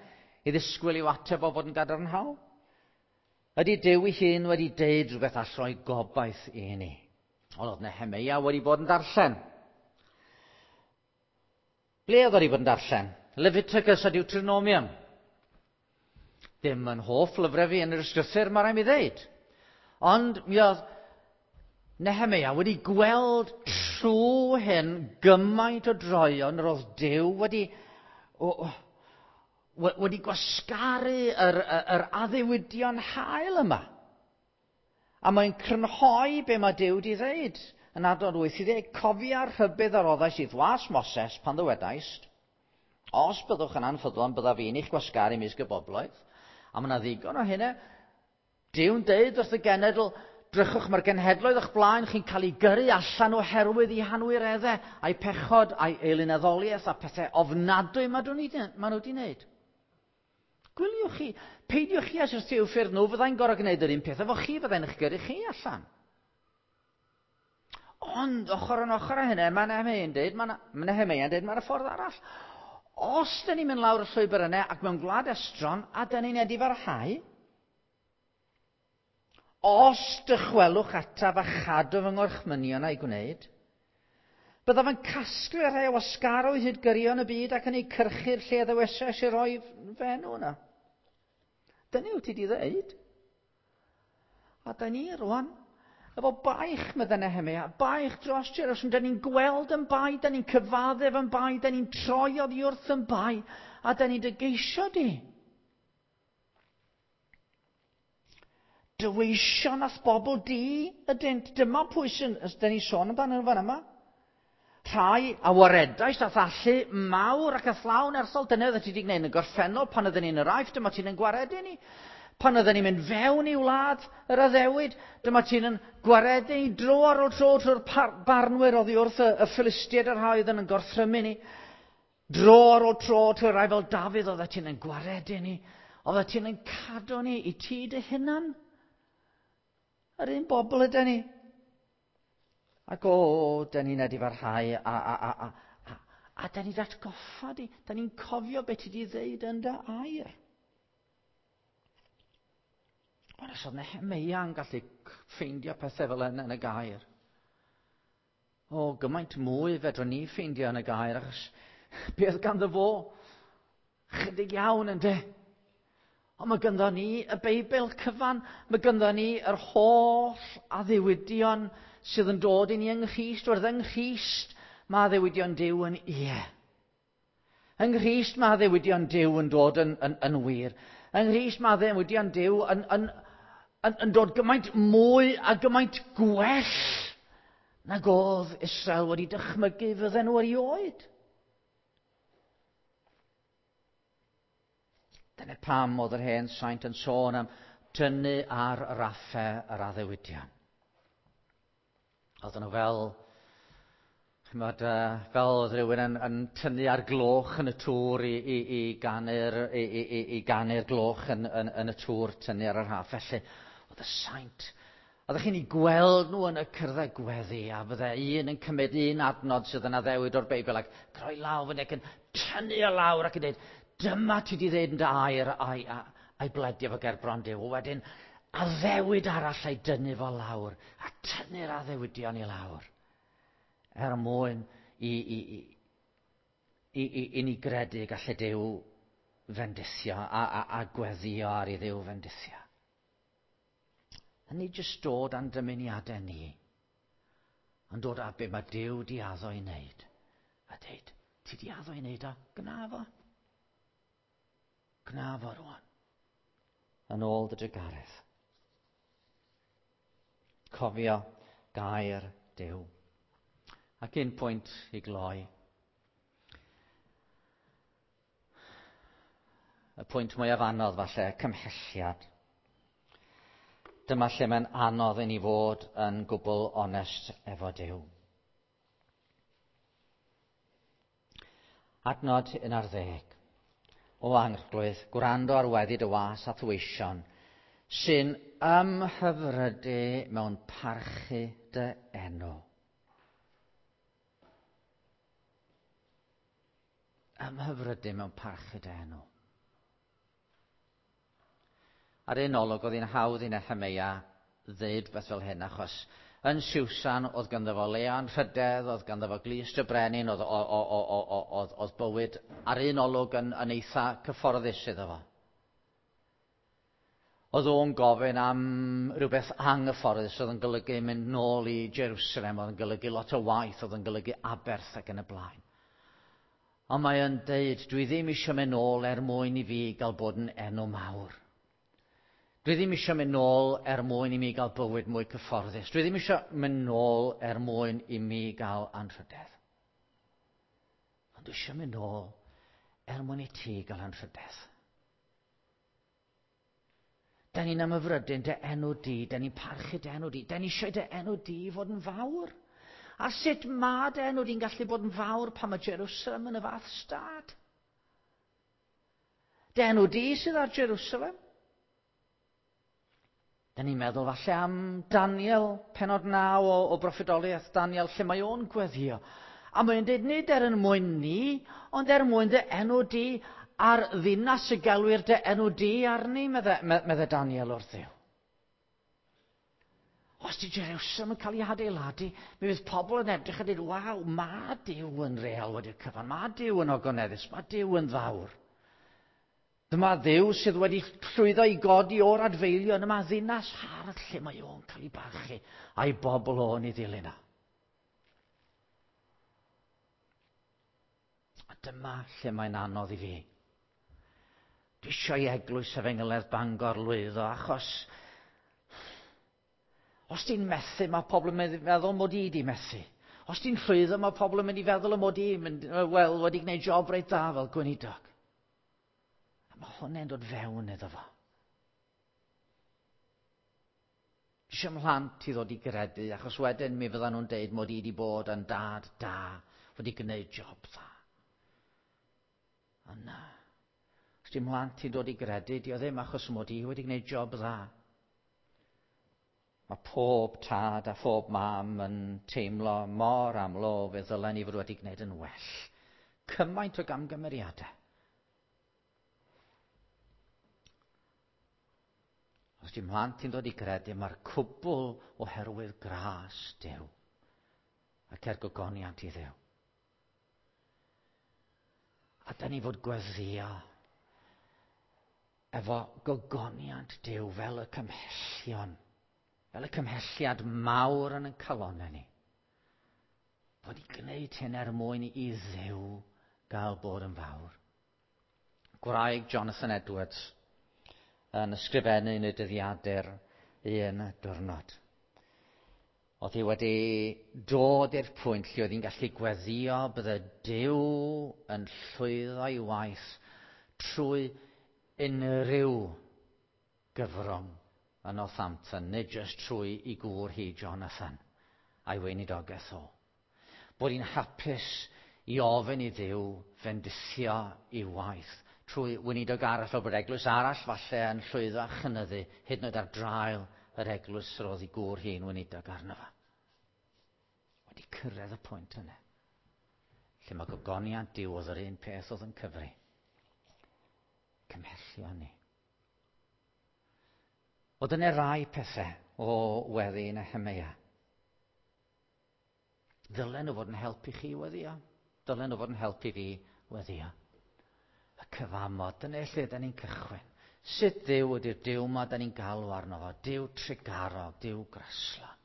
i ddisgwyl i'w ateb o fod yn gadarnhaol. Ydy Duw ei hun wedi deud rhywbeth all roi gobaith i ni? Ond oedd Nehemeia wedi bod yn darllen. Ble oedd wedi bod yn darllen? Leviticus a Deuteronomium. Dim yn hoff lyfrau fi yn yr ysgrythur, mae rhaid mi ddeud. Ond mi oedd Nehemeia wedi gweld trwy hyn gymaint o droeon yr oedd Duw wedi, o, o, wedi gwasgaru yr, yr, yr addewidion hael yma. A mae'n crynhoi be mae Duw wedi ddeud. Yn adnod wyth i ddeg, cofia'r rhybudd a roddais i'th was Moses pan ddywedaist, os byddwch yn anffyddlon, byddaf fi'n eich gwasgaru ymysg y bobloedd. A mae yna ddigon o hynna. Duw'n deud wrth y genedl, drychwch, mae'r genhedloedd o'ch blaen chi'n cael ei gyrru allan oherwydd eu hanwireddau, a'i pechod, a'i eilunaddoliaeth, a pethau ofnadwy maen nhw wedi wneud. Gwyliwch chi, peidiwch chi â syrthio i'w ffyrdd nhw, fyddai'n gorfod gwneud yr un peth efo chi, fyddai'n eich gyrru chi allan. Ond, ochr yn ochr â hynny, mae Nehemeia'n deud, mae Nehemeia'n deud, mae'r ffordd arall. Os dyn ni'n mynd lawr y llwybr yna ac mewn gwlad estron, a dyn ni'n edifarhau, os dychwelwch ataf a chadw fy ngorchmynion a'i gwneud, byddaf yn casglu rhai o wasgaroedd hyd gyrion y byd ac yn eu cyrchu'r lle ddewesais i roi fy enw yna. Dyna wyt ti wedi ddeud. A da ni rwan, efo baich, medde Nehemeia, baich dros Jerusalem, da ni'n gweld yn bai, da ni'n cyfaddef yn bai, da ni'n troi oddi wrth yn bai, a da ni'n dy geisio di. Dy weision a'th bobl di ydynt. Dyma pwy sy'n, da ni'n sôn amdano fan yma. Rhai a waredais a'th allu mawr ac a'th law nerthol. Dyna oeddet ti wedi gwneud yn y gorffennol pan oedden ni'n yr Aifft, dyma ti'n yn gwaredu ni. Pan oedden ni'n mynd fewn i wlad yr addewid, dyma ti'n yn gwaredu ni dro ar ôl tro trwy'r barnwyr oddi wrth y, y Philistiaid a'r rhai oedd yn gorthrymu ni. Dro ar ôl tro trwy'r rhai fel Dafydd, oeddet ti'n yn gwaredu ni. Oeddet ti'n yn cadw ni i ti dy hunan. Yr un bobl ydyn ni. Ac o, dyn ni'n edifarhau a, a, a, a, a, a dyn ni'n atgoffa di. Dyn ni'n cofio beth ti wedi ddeud yn dy air. Ond os oedd Nehemeia yn gallu ffeindio pethau fel yna yn y gair. O, gymaint mwy fedrwn ni ffeindio yn y gair, achos beth ganddo fo? Chydig iawn ynde. Ond mae ganddo ni y Beibl cyfan, mae ganddo ni yr holl addewidion sydd yn dod i ni yng Nghrist, wrth yng Nghrist mae addewidion Duw yn ie. Yng Nghrist mae addewidion Duw yn dod yn, yn, yn wir. Yng Nghrist mae addewidion Duw yn, yn, yn, yn dod gymaint mwy a gymaint gwell nag oedd Israel wedi dychmygu fydden nhw erioed. Dyna pam oedd yr hen saint yn sôn am tynnu ar raffau yr addewidion. Oedden nhw fel, chymod, fel oedd rhywun yn, yn tynnu ar gloch yn y tŵr i, i, i ganu'r, i, i, i ganu'r gloch yn, yn, yn y tŵr, tynnu ar y raff. Felly, oedd y saint, oeddech chi'n ei gweld nhw yn y cyrddau gweddi, a fydde un yn cymryd un adnod sydd yn addewid o'r Beibl ac croi law fyny ac yn tynnu o lawr ac yn dweud, dyma ti di ddeud yn dy air a'i, a'i bledio fo ger bron Duw. Wedyn, addewid arall a'i dynnu fo lawr, a tynnu'r addewidion i lawr, er mwyn i, i, i, i, i, i ni gredu gallai Duw fendithio a, a, a gweddio ar i Dduw fendithio. A nid jyst dod â'n dymuniadau ni, ond dod â be mae Duw di addo i wneud. A dweud, ti di addo i wneud o, gna fo. Gna fo rwan. Yn ôl dy drugaredd. Cofio gair Duw. Ac un pwynt i gloi. Y pwynt mwyaf anodd falle, cymhelliad. Dyma lle mae'n anodd i ni fod yn gwbl onest efo Duw. Adnod un ar ddeg. O Arglwydd, gwrando ar weddi dy was a thweision, sy'n ymhyfrydu mewn parchu dy enw. Ymhyfrydu mewn parchu dy enw. Ar un olwg, oedd hi'n hawdd i Nehemeia ddeud beth fel hyn, achos yn Siwsan oedd ganddo fo le anrhydedd, oedd ganddo fo glust y brenin, oedd, oedd, oedd, oedd bywyd ar un olwg yn, yn eitha cyfforddus iddo fo. Oedd o'n gofyn am rhywbeth anghyfforddus, oedd yn golygu mynd nôl i Jerusalem, oedd yn golygu lot o waith, oedd yn golygu aberth ac yn y blaen. Ond mae o'n deud, dwi ddim eisiau mynd nôl er mwyn i fi gael bod yn enw mawr. Dwi ddim eisiau mynd nôl er mwyn i mi gael bywyd mwy cyfforddus. Dwi ddim eisiau mynd nôl er mwyn i mi gael anrhydedd. Ond dwi eisiau mynd nôl er mwyn i ti gael anrhydedd. Da ni'n ymhyfrydu'n dy enw di, da ni'n parchu dy enw di, da ni eisiau dy enw di fod yn fawr. A sut mae dy enw di'n gallu bod yn fawr pan mae Jerusalem yn y fath stad? Dy enw di sydd ar Jerusalem. Da ni'n meddwl falle am Daniel, pennod naw o, o broffwydoliaeth Daniel, lle mae o'n gweddio. A mae'n dweud nid er yn mwyn ni, ond er mwyn dy enw di a'r ddinas y gelwir dy enw di arni, medde, medde Daniel wrth Dduw. Os di Jerusalem yn cael ei hadeiladu, mi fydd pobl yn edrych a dweud, waw, mae Duw yn real wedi'r cyfan, mae Duw yn ogoneddus, mae Duw yn fawr. Dyma Dduw sydd wedi llwyddo i godi o'r adfeilion, yma ddinas hardd lle mae o'n cael ei barchu a'i bobl o'n ei ddilyn o. A dyma lle mae'n anodd i fi. Dwi eisiau i Eglwys Efengylaidd Bangor lwyddo, achos os ti'n methu, mae pobl yn meddwl mod i di methu. Os ti'n llwyddo, mae pobl yn mynd i feddwl y mod i mynd, wel, wedi gwneud job reit dda fel gweinidog. Mae hwnna'n dod fewn iddo fo. Dwi eisiau mhlant i ddod i gredu, achos wedyn mi fyddan nhw'n deud mod i wedi bod yn dad da, wedi gwneud job dda. Ond na, os di mhlant i ddod i gredu, di o ddim achos mod i wedi gwneud job dda. Mae pob tad a phob mam yn teimlo mor aml o fe ddylen ni fod wedi gwneud yn well. Cymaint o gamgymeriadau. Os di mhlant i'n dod i gredu, mae'r cwbl oherwydd gras Duw ac er gogoniant i Dduw. A da ni fod gweddio efo gogoniant Duw fel y cymhellion, fel y cymhelliad mawr yn ein calonnau ni. Bod ni'n gwneud hyn er mwyn i Dduw gael bod yn fawr. Gwraig Jonathan Edwards yn ysgrifennu yn y dyddiadur un diwrnod. Oedd hi wedi dod i'r pwynt lle oedd hi'n gallu gweddio bydde Duw yn llwyddo ei waith trwy unrhyw gyfrwng yn Northampton, nid jyst trwy i gŵr hi Jonathan a'i weinidogaeth o. Bod hi'n hapus i ofyn i Dduw fendithio ei waith trwy weinidog arall, fel bod eglwys arall falle yn llwyddo a chynyddu, hyd yn oed ar draul yr eglwys roedd ei gŵr hi'n weinidog arno fo. Wedi cyrraedd y pwynt yna, lle mae gogoniant Duw oedd yr un peth oedd yn cyfri. Cymhellio ni. Oedd yna rai pethau o weddi Nehemeia. Ddylen nhw fod yn helpu chi weddio. Dylen nhw fod yn helpu fi weddio. Y cyfamod, dyna lle da ni'n cychwyn. Sut Dduw ydy'r Duw ma da ni'n galw arno fo? Duw trugarog, Duw graslon.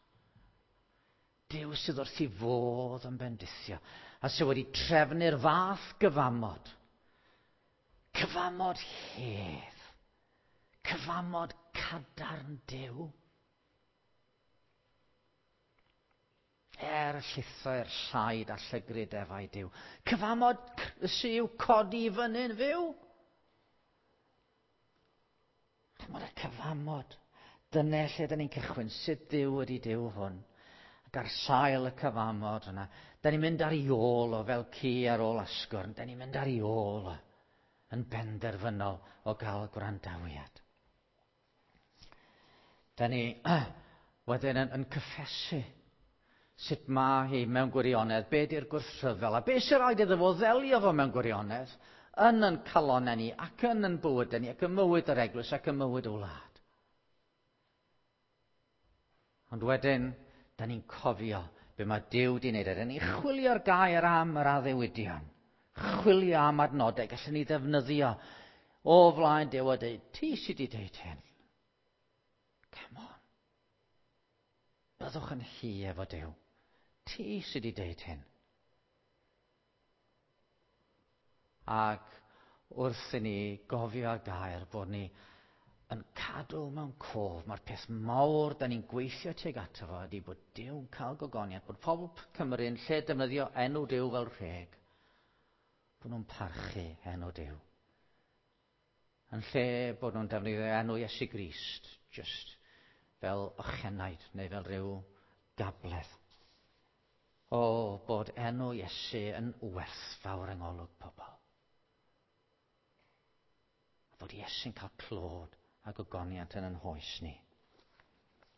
Duw sydd wrth ei fodd yn bendithio a sydd wedi trefnu'r fath gyfamod. Cyfamod hedd. Cyfamod cadarn Duw. Er llithau'r llaid a llygru defau Duw. Cyfamod sydd i'w codi i fyny'n fyw. Chymod y cyfamod. Dyna lle da ni'n cychwyn. Sut Dduw ydy Duw hwn? Ac ar sail y cyfamod yna, da ni'n mynd ar ei ôl o fel ci ar ôl asgwrn. Da ni'n mynd ar ei ôl o yn benderfynol o gael gwrandawiad. Da ni wedyn yn, yn cyffesu sut mae hi mewn gwirionedd, be di'r gwrthryfel, a be sy'n rhaid iddo fo ddelio fo mewn gwirionedd, yn yn calonnau ni, ac yn yn bywydau ni, ac yn mywyd yr eglwys, ac yn mywyd y wlad. Ond wedyn, da ni'n cofio be mae Duw di wneud. Da ni'n chwilio'r gair am yr addewidion. Chwilio am adnodau, gallwn ni ddefnyddio o flaen Duw a dweud, ti sydd wedi dweud hyn. Come on. Byddwch yn hi efo Duw. Ti sydd wedi dweud hyn. Ac wrth i ni gofio'r gair bod ni yn cadw mewn cof, mae'r peth mawr da ni'n gweithio tuag ato fo ydy bod Duw'n cael gogoniant, bod pobl Cymru yn lle defnyddio enw Duw fel rheg, bod nhw'n parchu enw Duw. Yn lle bod nhw'n defnyddio enw Iesu Grist, just fel ochenaid neu fel rhyw gabledd. O, bod enw Iesu yn werthfawr yng ngolwg pobl. A bod Iesu'n cael clod a gogoniant yn yn hoes ni.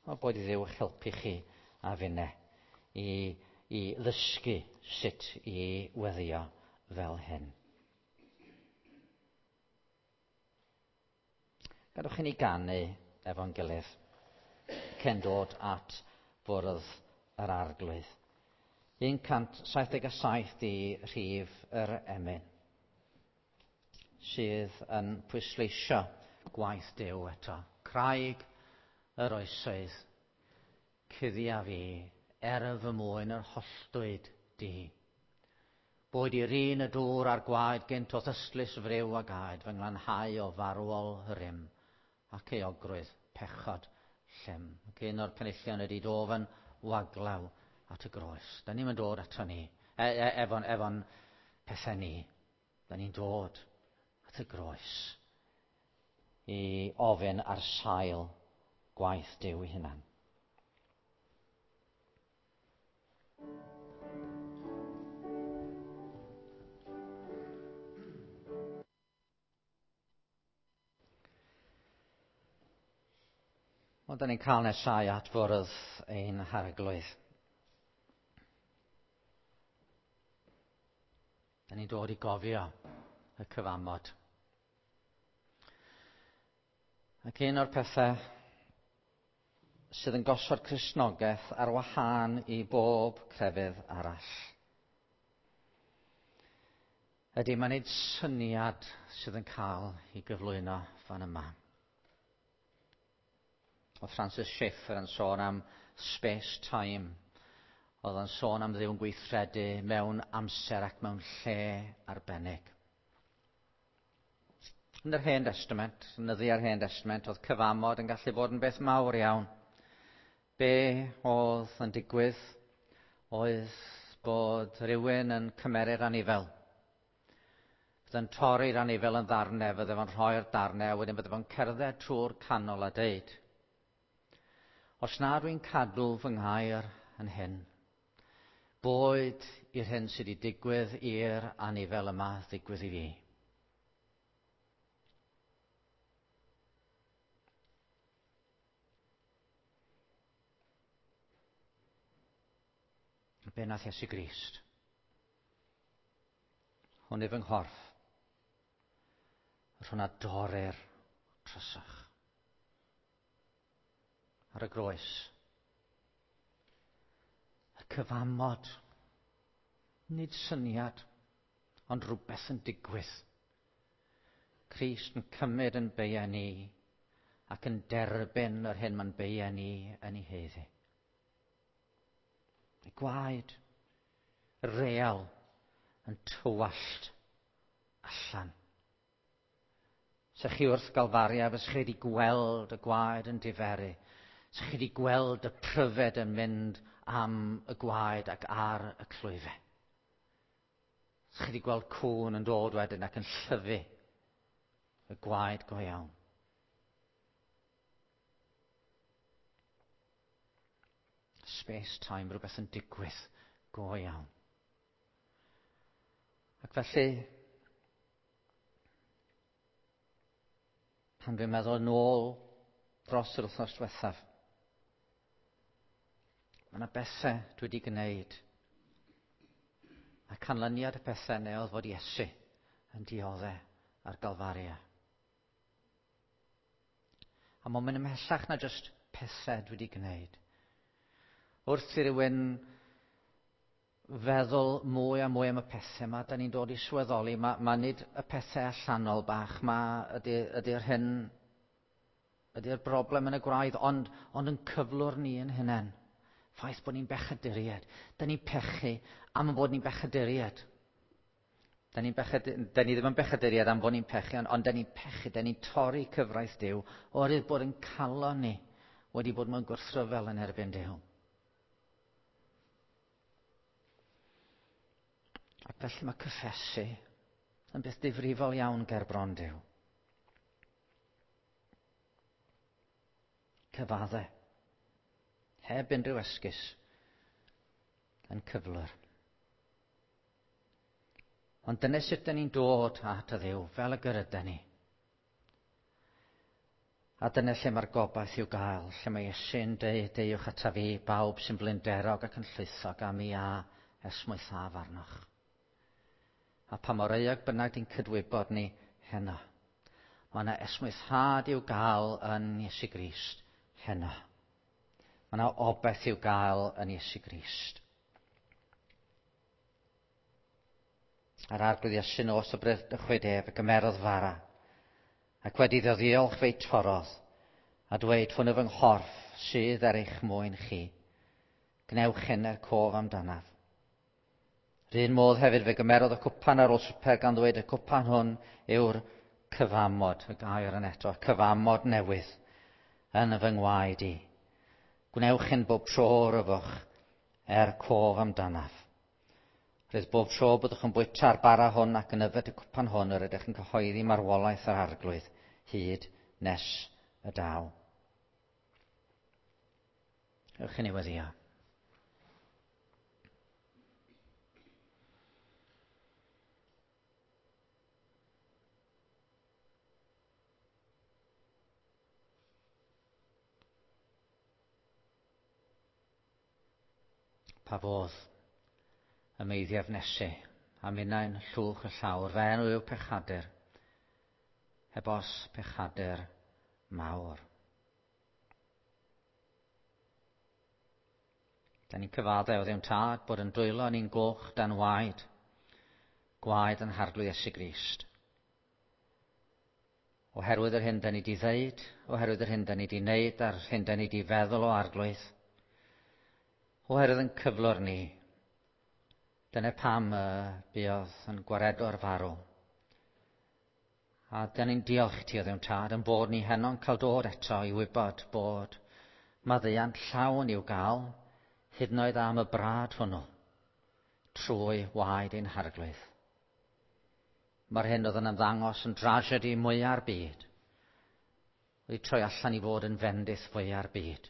O, bod i Dduw eich helpu chi a finne i, i ddysgu sut i weddio fel hyn. Gadewch i ni ganu efo'n gilydd cyn dod at fwrdd yr Arglwydd. un cant saith deg saith di rhif yr emyn sydd yn pwysleisio gwaith Duw eto. Craig yr oesoedd, cuddia fi, er fy mwyn yr holltwyd di. Boed i'r un y dŵr a'r gwaed gynt o'th ystlys friw a gaed, fy nglanhau o farwol rym ac euogrwydd pechod llym. Ac un o'r penillion ydy dofn waglaw at y groes. Da ni'n dod ato ni, e, e, efo'n efo pethau ni. Da ni'n dod at y groes i ofyn ar sail gwaith Duw ei hunan. Wel, da ni'n cael nesau at fwrdd ein Harglwydd. Da ni'n dod i gofio y cyfamod. Ac un o'r pethau sydd yn gosod Cristnogaeth ar wahân i bob crefydd arall ydy mae'n nid syniad sydd yn cael ei gyflwyno fan yma. Oedd Francis Schaeffer yn sôn am space-time. Oedd o'n sôn am Dduw'n gweithredu mewn amser ac mewn lle arbennig. Yn yr Hen Testament, yn nyddiau'r Hen Testament, oedd cyfamod yn gallu bod yn beth mawr iawn. Be oedd yn digwydd oedd bod rhywun yn cymeru'r anifel. Fydde'n torri'r anifel yn ddarnau, fydde fo'n rhoi'r darnau, a wedyn fydde fo'n cerdded trwy'r canol a deud, os na dwi'n cadw fy nghair yn hyn, boed i'r hyn sydd wedi digwydd i'r anifel yma ddigwydd i fi. Be nath Iesu Grist? Hwn yw fy nghorff. Yr hwnna dorri'r trysach. Ar y groes. Y cyfamod. Nid syniad, ond rhywbeth yn digwydd. Crist yn cymryd yn beia ni ac yn derbyn yr hyn mae'n beia ni yn ei heddi. Y gwaed real yn tywallt allan. Se chi wrth Galfaria, fes chi wedi gweld y gwaed yn diferu. Se chi wedi gweld y pryfed yn mynd am y gwaed ac ar y clwyfau. Se chi wedi gweld cŵn yn dod wedyn ac yn llyfu y gwaed go iawn. Space time, rhywbeth yn digwydd go iawn. Ac felly, pan dwi'n meddwl yn ôl dros yr wythnos diwethaf, mae yna bethau dwi wedi gwneud. A canlyniad y pethau neu oedd fod Iesu yn dioddef ar Galfaria. A mae'n mynd ymhellach na jyst pethau dwi wedi gwneud. Wrth i rywun feddwl mwy a mwy am y pethau yma, da ni'n dod i sylweddoli, mae, ma nid y pethau allanol bach, ma ydy'r ydy hyn, ydy'r broblem yn y gwraidd, ond, ond yn cyflwr ni yn hunain. Ffaith bod ni'n bechaduriaid. Da ni'n pechu am bod ni'n bechaduriaid. Da, ni'n bechad, da ni ddim yn bechaduriaid am bod ni'n pechu, ond, ond da ni'n pechu, da ni'n torri cyfraith Duw, oherwydd bod yn calon ni wedi bod mewn gwrthryfel yn erbyn Duw. Ac felly mae cyffesu yn beth difrifol iawn ger bron Duw. Cyfadde, heb unrhyw esgus, yn cyflwr. Ond dyna sut dyn ni'n dod at y Dduw, fel y gyryda ni. A dyna lle mae'r gobaith i'w gael, lle mae Iesu'n deud, deuwch ata fi, bawb sy'n blinderog ac yn llwythog, a mi a esmwythaf arnoch. A pa mor euog bynnag di'n cydwybod ni heno, mae yna esmwythâd i'w gael yn Iesu Grist heno. Mae yna obaith i'w gael yn Iesu Grist. A'r Arglwydd Iesu nos y bradychwyd ef, y gymerodd fara, ac wedi iddo ddiolch fe'i torrodd, a dweud, hwn yw fy nghorff sydd er eich mwyn chi. Gwnewch hyn er cof amdanaf. R'un modd hefyd fe gymerodd y cwpan ar ôl swper gan ddweud y cwpan hwn yw'r cyfamod, y gair yn eto, cyfamod newydd yn fy ngwaed i. Gwnewch hyn bob tro o'r yfwch er cof amdanaf. Rhydd bob tro byddwch yn bwyta'r bara hwn ac yn yfed y cwpan hwn yr ydych yn cyhoeddi marwolaeth yr Arglwydd hyd nes y daw. Ewch i ni weddïo. Pa fodd y meiddiaf nesu, a minnau'n llwch y llawr, fe enw yw pechadur, heb os pechadur mawr. Da ni'n cyfadde o Dduw'n Tad bod yn dwylo ni'n goch dan waed, gwaed yn Harglwydd Iesu Grist. Oherwydd yr hyn da ni di ddeud, oherwydd yr hyn da ni di wneud, a'r hyn da ni di feddwl o Arglwydd, Oherwydd yn cyflwr ni, dyna pam y buodd yn gwaredo'r farw. A dyn ni'n diolch ti o Dduw Tad yn bod ni heno'n cael dod eto i wybod bod maddeuant llawn i'w gael, hyd yn oed am y brad hwnnw, trwy waed ein Harglwydd. Mae'r hyn oedd yn ymddangos yn drasiedi mwya'r byd, wedi troi allan i fod yn fendith fwya'r byd,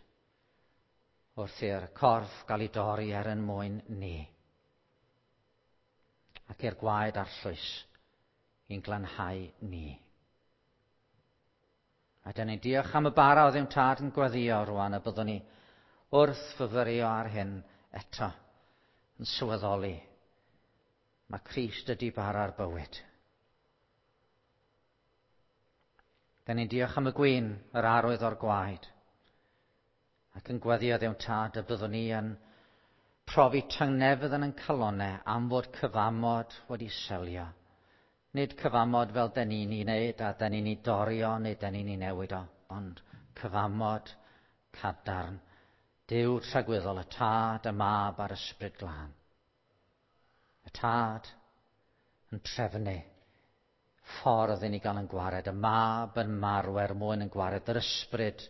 wrth i'r corff gael ei dorri er yn mwyn ni, ac i'r gwaed arllwys i'n glanhau ni. A dyn ni'n diolch am y bara o Dduw Tad yn gweddïo rwan y byddwn ni wrth fyfyrio ar hyn eto yn sylweddoli. Mae Crist ydi bara'r bywyd. Dyn ni'n diolch am y gwin, yr arwydd o'r gwaed, ac yn gweddïo Dduw Tad y byddwn ni yn profi tangnefedd yn ein calonnau am fod cyfamod wedi selio. Nid cyfamod fel dyn ni'n ei wneud a dyn ni'n ei dorri o neu dyn ni'n ei newid o, ond cyfamod cadarn, Duw tragwyddol, y Tad, y Mab a'r Ysbryd Glân. Y Tad yn trefnu ffordd i ni gael yn gwared, y Mab yn marw er mwyn yn gwared, yr Ysbryd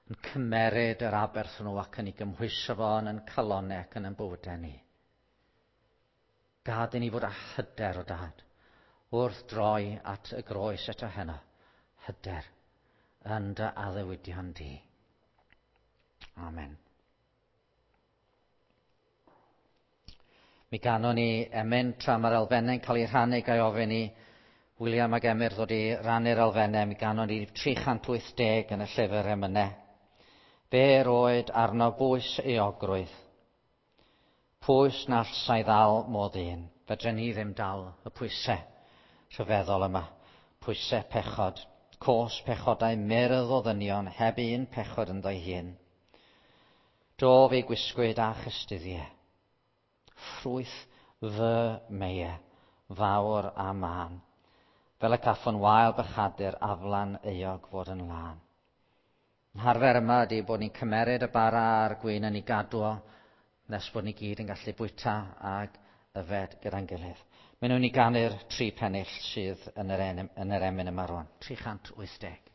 yn cymeryd yr aberth hwnnw ac yn ei gymhwyso fo yn ein calonnau ac yn ein bywydau ni. Gad i ni fod â hyder o Dad wrth droi at y groes eto heno, hyder yn dy addewidion di. Amen. Mi ganon ni emyn tra mae'r elfennau'n cael eu rhannu, gai ofyn i William ac Emyr ddod i rannu'r elfennau. Mi ganon ni tri chant wyth deg yn y llyfr emynau. Fe roed arno bwys euogrwydd. Pwys na allsai ddal modd un. Fedren ni ddim dal y pwysau rhyfeddol yma. Pwysau pechod. Cos pechodau myrdd o ddynion heb un pechod ynddo'i hun. Do fe gwisgwyd a chystuddiau. Ffrwyth fy meie, fawr a mân. Fel y caffon wael bychadur aflan euog fod yn lân. Harfer yma ydy bod ni'n cymeryd y bara a'r gwin yn ei gadw o, nes bod ni gyd yn gallu bwyta ag yfed gyda'n gilydd. Maen nhw'n i ganu'r tri pennill sydd yn yr, en, yn yr emyn yma rwan. tri chant wyth deg.